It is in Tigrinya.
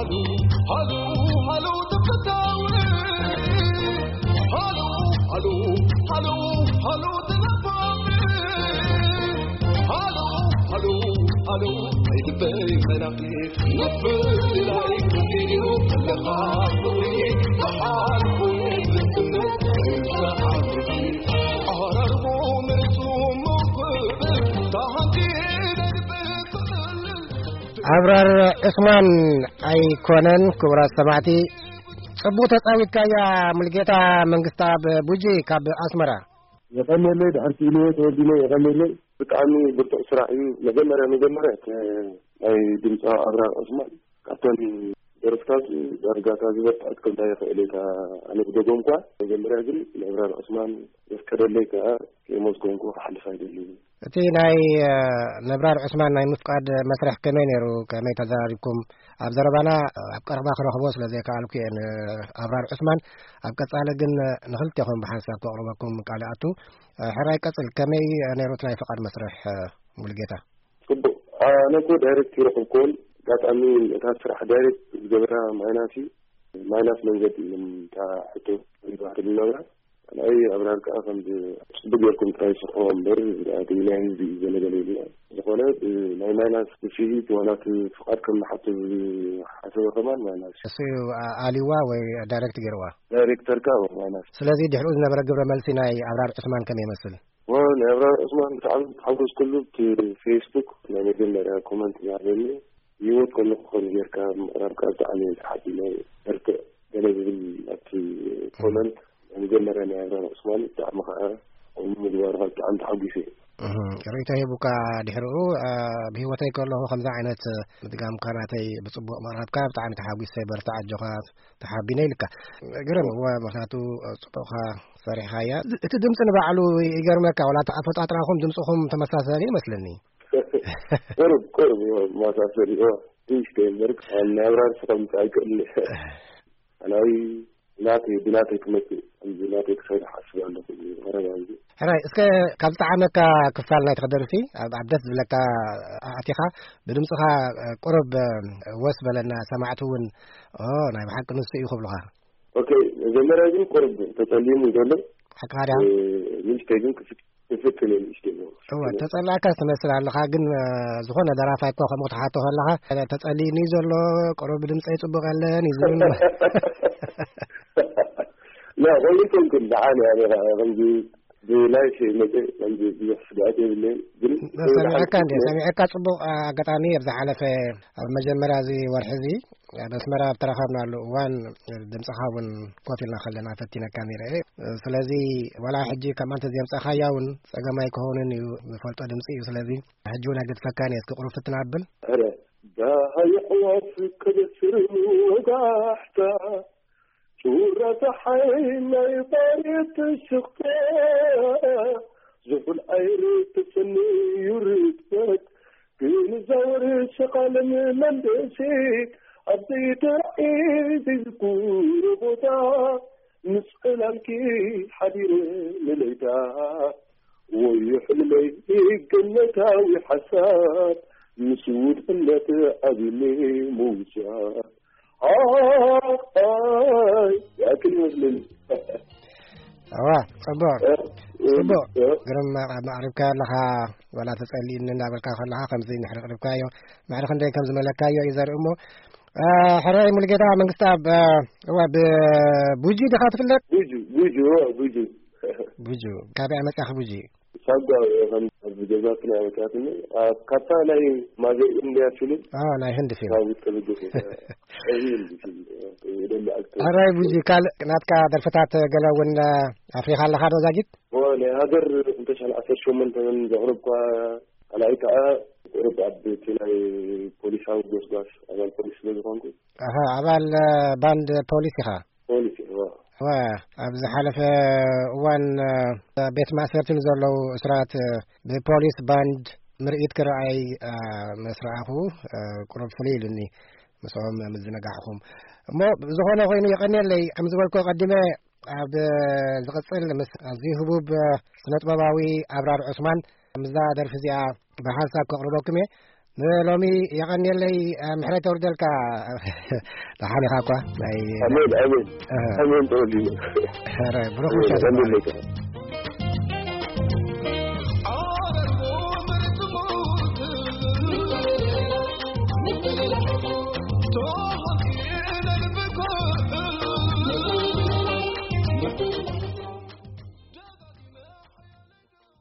ሃሎ ሃሎ ሃሎ ተፈታዊ፣ ሃሎ ሃሎ ሃሎ ሃሎ ተነባቢ፣ ሃሎ ሃሎ ሃሎ ኣይትበይ መናፍቅ፣ ምፍላይ ክልዩ ኣለኻ ፍቕሪ፣ ብሓልኩ ዝስምዕ ሰሓብቲ፣ ኣራርሞ መርጹ መውክብ፣ ታሃንቲ ነድበ ክልል ኣብራር ዑስማን ኣይኮነን። ክቡራት ሰማዕቲ፣ ጽቡቕ ተጻዊትካያ። ሙልጌታ መንግስታ ብቡጂ ካብ ኣስመራ። የቐንየለይ፣ ድሕር ክኢልዎ ተወዲነ የቐንየለይ። ብጣዕሚ ብርቱዕ ስራሕ እዩ። መጀመርያ፣ መጀመርያ፣ ከ-፣ ናይ ድምፃዊ ኣብራር ዑስማን ካብተን ደርፍታት ዳርጋታ ዝበርትዐት ከምታ ይኽእል እየ። ኣነ ብደጎም እኳ መጀመርያ ግን ንኣብራር ዑስማን ዘፍቀደለይ ከኣ ከየመስገንኩ ክሓልፍ ኣይደልን። እቲ ናይ፣ እ፣ ነብራር ዑስማን ናይ ምፍቃድ መስርሕ ከመይ ነይሩ? ከመይ ተዘራሪብኩም? ኣብ ዘረባና ኣብ ቀረባ ክረኽቦ ስለ ዘይከኣልኩ እየ ንኣብራር ዑስማን። ኣብ ቀጻሊ ግን ንኽልቴኹም ብሓንሳብ ከቕርበኩም ቃል እኣቱ። እ፣ ሕራይ ቀጽል፣ ከመይ ነይሩ እቲ ናይ ፍቓድ መስርሕ፣ እ፣ ሙሉጌታ? ጽቡቕ። ኣነ እኮ ዳይሬክት ይረኽብኩዎን፣ ኣጋጣሚ እታ ስራሕ ዳይሬክት ዝገበራ ማይናስ እዩ። ማይናስ መንገዲ እዮም እታ ሕቶ ይባህር ዝነበራ። ካልኣይ ኣብራር ከኣ ከምዚ ጽቡቅ ጌርኩም ጥራይ ስርሕዎ እምበር፣ እቲ ናይ ህዝቢ እዩ ዘለገለ ኢልና። ዝኾነ፣ እ፣ ናይ ማይናስ ስፍሒት ዋላ እቲ ፍቓድ ከም ንሓቶ ዝሓሰበ ከማን ማይናስ። እሱ እዩ፣ ኣ-፣ ኣልዋ ወይ ዳይሬክት ገይርዋ? ዳይሬክተር ከኣ ማይናስ። ስለዚ ድሕሪኡ ዝነበረ ግብረ መልሲ ናይ ኣብራር ዑስማን ከመይ ይመስል? ዎ፣ ናይ ኣብራር ዑስማን ብጣዕሚ ተሓጎስኩሉ። እቲ ፌስቡክ ናይ መጀመርያ ኮመንት ዝሃበኒ፣ ብህይወት ከለኹ ከምዚ ጌርካ ምቕራብካ ብጣዕሚ እየ ተሓቢነ። በርትዕ ገለ ዝብል ኣብቲ ኮመንት ናይ መጀመርያ ናይ ኣብራር ዑስማን ብጣዕሚ ከኣ ከምኡ ምግባርካ ብጣዕሚ ተሓጒሰ እየ። እህ፣ ርእይቶ ሂቡካ ድሕሪኡ፣ እ፣ ብህይወተይ ከለኹ ከምዚ ዓይነት ምድጋምካ ናተይ ብጽቡቕ ምቕራብካ ብጣዕሚ ተሓጒሰ። በርትዕ፣ ኣጆኻ፣ ተሓቢነ ኢልካ። ግርም፣ እወ፣ ምኽንያቱ ጽቡቕኻ ሰሪሕኻያ። እቲ ድምጺ ንባዕሉ ይገርመካ፣ ዋላ እቲ ኣፈጣጥራኹም ድምጽኹም ተመሳሳሊ ይመስለኒ። ቁሩብ፣ ቁሩብ፣ እወ፣ መሳሰሊ፣ እወ፣ ትንሽ እምበር፣ ናይ ኣብራር ስኸምቲ ኣይክእልን እየ። ኣናይ ናተይ፣ ብናተይ ክመጽእ፣ ከምዚ ናተይ ክሰርሕ ኣስብ ኣለኹ፣ ቀረባ ግዜ። ሕራይ፣ እስከ ካብ ዝጠዓመካ ክፋል ናይትኻ ደርፊ፣ ኣብ፣ ኣብ ደስ ዝብለካ ኣእቲኻ፣ ብድምጽኻ ቁሩብ ወስ በለና፣ ሰማዕቲ እውን፣ ኦ፣ ናይ ብሓቂ ንሱ እዩ ክብሉኻ። ኦኬ፣ መጀመርያ ግን ቁሩብ ተጸሊሙ ዘሎ። ሓቅኻ ድያ? እ፣ ንእሽተይ ግን ክፍት-፣ ክፍትን እዩ ንእሽተይ ዘሎ። እወ፣ ተጸላእካ ትመስል ኣለኻ፣ ግን፣ እ፣ ዝኾነ ደራፋይ እኮ ከምኡ ክትሓቶ ከለኻ፣ ተጸሊኒ ዘሎ፣ ቁሩብ ድምጸይ ጽቡቕ የለን እዩ ዝብል። ላ፣ ከምኡ ኣይኮንኩን፣ ደሓን እየ፣ ኣነ ኸዓ ከምዚ ብላይፍ መጸ፣ ከምዚ ብዙሕ ስግኣት የብለይን፣ ግን ሰሚዐካ እንዴ? ሰሚዐካ ጽቡቕ። ኣጋጣሚ ኣብ ዝሓለፈ፣ ኣብ መጀመርያ እዚ ወርሒ እዚ፣ ኣብ ኣስመራ ኣብ ተራኸብናሉ እዋን፣ ድምጽኻ እውን ኮፍ ኢልና ከለና ፈቲነካ ነይረ እየ። ስለዚ፣ ዋላ ሕጂ ከም ኣንተ ዘምጻኻያ እውን ጸገም ኣይክኸውንን እዩ፣ ዝፈልጦ ድምጺ እዩ። ስለዚ፣ ሕጂ እውን ኣይገድፈካን እየ። እስኪ ቁሩብ ፍትን ኣብል። ኧረ፣ ዳሃይ ኣዕዋፍ ከበስር ወጋሕታ፣ ጩራ ጸሓይ ናይ ባርየት ትሽቕታ፣ ዝሑል ኣይሪ ትጽንዩ ርጥበት፣ ግን ዛወር ሸቓልን መንደሴ፣ ኣብ ዘይተራእየ ዘይዝኩር ቦታ፣ ምስ ዕላልኪ ሓዲረ ንለይታ፣ ወዮ ሕልመይ ገነታዊ ሓሳብ፣ ምስ ውድነት ዓቢኒ ምውሳብ። ኣይ፣ ያክል ይመስለኒ። እዋ፣ ጽቡቕ። እ፣ እ፣ ጽቡቕ። እ። ግርም፣ ኣቕሪብካዮ ኣለኻ፣ ዋላ ተጸሊእኒ እንዳበልካ ከለኻ፣ ከምዚ ንሕሪ ኣቕሪብካዮ፣ ማዕረ ክንደይ ከም ዝመለካዮ እዩ ዘርኢ እሞ፣ እ፣ ሕራይ ሙሉጌታ መንግስተኣብ፣ እ፣ እዋ፣ ብቡጂ ዲኻ ትፍለጥ? ቡጁ፣ ቡጁ፣ እዋ፣ ቡጁ። ቡጁ። ካበይ መጻኺ ቡጂ? ሳጓ፣ ከም ኣብ ገዛትና መጽኣትኒ፣ ኣብ ካብታ ናይ ማዘር ኢንድያ ፊልም፣ አ፣ ናይ ህንዲ ፊልም። ካብኡ ተበገሰ። እዚ ህንዲ ፊልም፣ ደሊ ኣክተር። ሕራይ ቡጂ፣ ካልእ ናትካ ደርፍታት ገለ እውን ኣፍሪኻ ኣለኻ ዶ ዛጊት? ኦ፣ ናይ ሃገር ክልተ ሽሕን ዓሰርተ ሸሞንተን ዘቕረብኳ፣ ካልኣይ ከኣ ቁሩብ ኣብ እቲ ናይ ፖሊሳዊ ጎስጓስ ኣባል ፖሊስ ስለ ዝኾንኩ። ኣሃ፣ ኣባል፣ እ፣ ባንድ ፖሊስ ኢኻ? ፖሊስ፣ እወ። እወ፣ ኣብ ዝሓለፈ እዋን፣ እ፣ ቤት ማእሰርቲ ንዘለዉ እሱራት፣ እ፣ ብፖሊስ ባንድ ምርኢት ክረኣይ፣ እ፣ ምስ ረኣኹ፣ እ፣ ቁሩብ ፍሉይ ኢሉኒ ምስኦም ምዝንጋዕኹም። እሞ ብዝኾነ ኮይኑ የቐንየለይ፣ ከም ዝበልኩ ቀዲመ ኣብ ዝቕጽል ምስ ኣዝዩ ህቡብ ስነጥበባዊ ኣብራር ዑስማን ምስዛ ደርፊ እዚኣ ብሓንሳብ ከቕርበኩም እየ። ንሎሚ የቐንየለይ። ምሕረት የውርደልካ። ደሓን ኢኻ እኳ ናይ ኣሜን ኣሜን። ኣሜን ተወልዩ። ብሩኽ ምሸት።